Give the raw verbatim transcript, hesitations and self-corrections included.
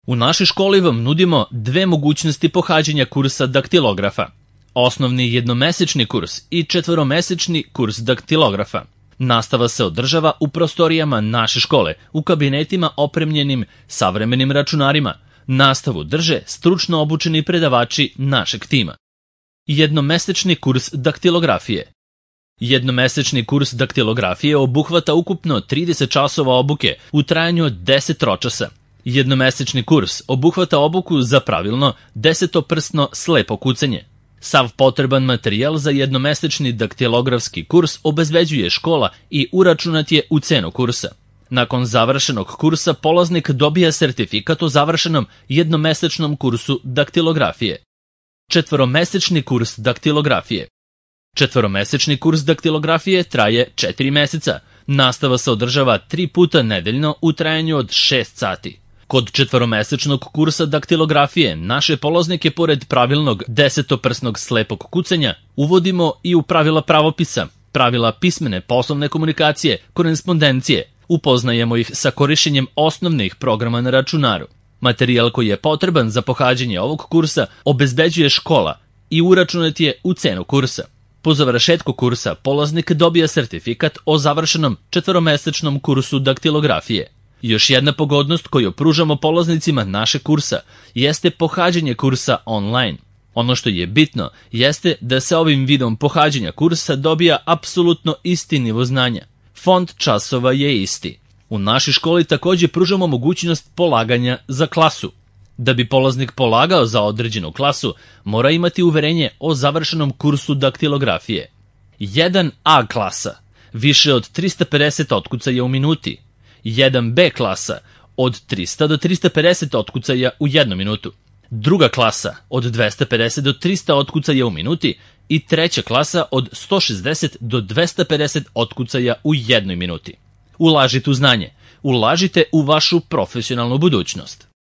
U našoj školi vam nudimo dve mogućnosti pohađanja kursa daktilografa. Osnovni jednomesečni kurs i četvoromesečni kurs daktilografa. Nastava se održava u prostorijama naše škole, u kabinetima opremljenim savremenim računarima. Nastavu drže stručno obučeni predavači našeg tima. Jednomesečni kurs daktilografije. Jednomesečni kurs daktilografije obuhvata ukupno trideset časova obuke u trajanju od deset tročasa. Jednomesečni kurs obuhvata obuku za pravilno desetoprsno slepo kucanje. Sav potreban materijal za jednomesečni daktilografski kurs obezbeđuje škola i uračunat je u cenu kursa. Nakon završenog kursa polaznik dobija sertifikat o završenom jednomesečnom kursu daktilografije. Četvoromesečni kurs daktilografije. Četvoromesečni kurs daktilografije traje četiri meseca. Nastava se održava tri puta nedeljno u trajanju od šest sati. Kod četvoromesečnog kursa daktilografije naše polaznike pored pravilnog desetoprsnog slepog kucanja uvodimo i u pravila pravopisa, pravila pismene poslovne komunikacije, korespondencije. Upoznajemo ih sa korišćenjem osnovnih programa na računaru. Materijal koji je potreban za pohađanje ovog kursa obezbeđuje škola i uračunat je u cenu kursa. Po završetku kursa polaznik dobija sertifikat o završenom četvoromesečnom kursu daktilografije. Još jedna pogodnost koju pružamo polaznicima našeg kursa jeste pohađanje kursa online. Ono što je bitno jeste da se ovim vidom pohađanja kursa dobija apsolutno isti nivo znanja. Fond časova je isti. U našoj školi također pružamo mogućnost polaganja za klasu. Da bi polaznik polagao za određenu klasu, mora imati uverenje o završenom kursu daktilografije. jedan A klasa, više od trista pedeset otkucaja u minuti. jedan B klasa, od trista do trista pedeset otkucaja u jednu minutu. Druga klasa, od dvesta pedeset do trista otkucaja u minuti. I treća klasa, od sto šezdeset do dvesta pedeset otkucaja u jednoj minuti. Ulažite u znanje, ulažite u vašu profesionalnu budućnost.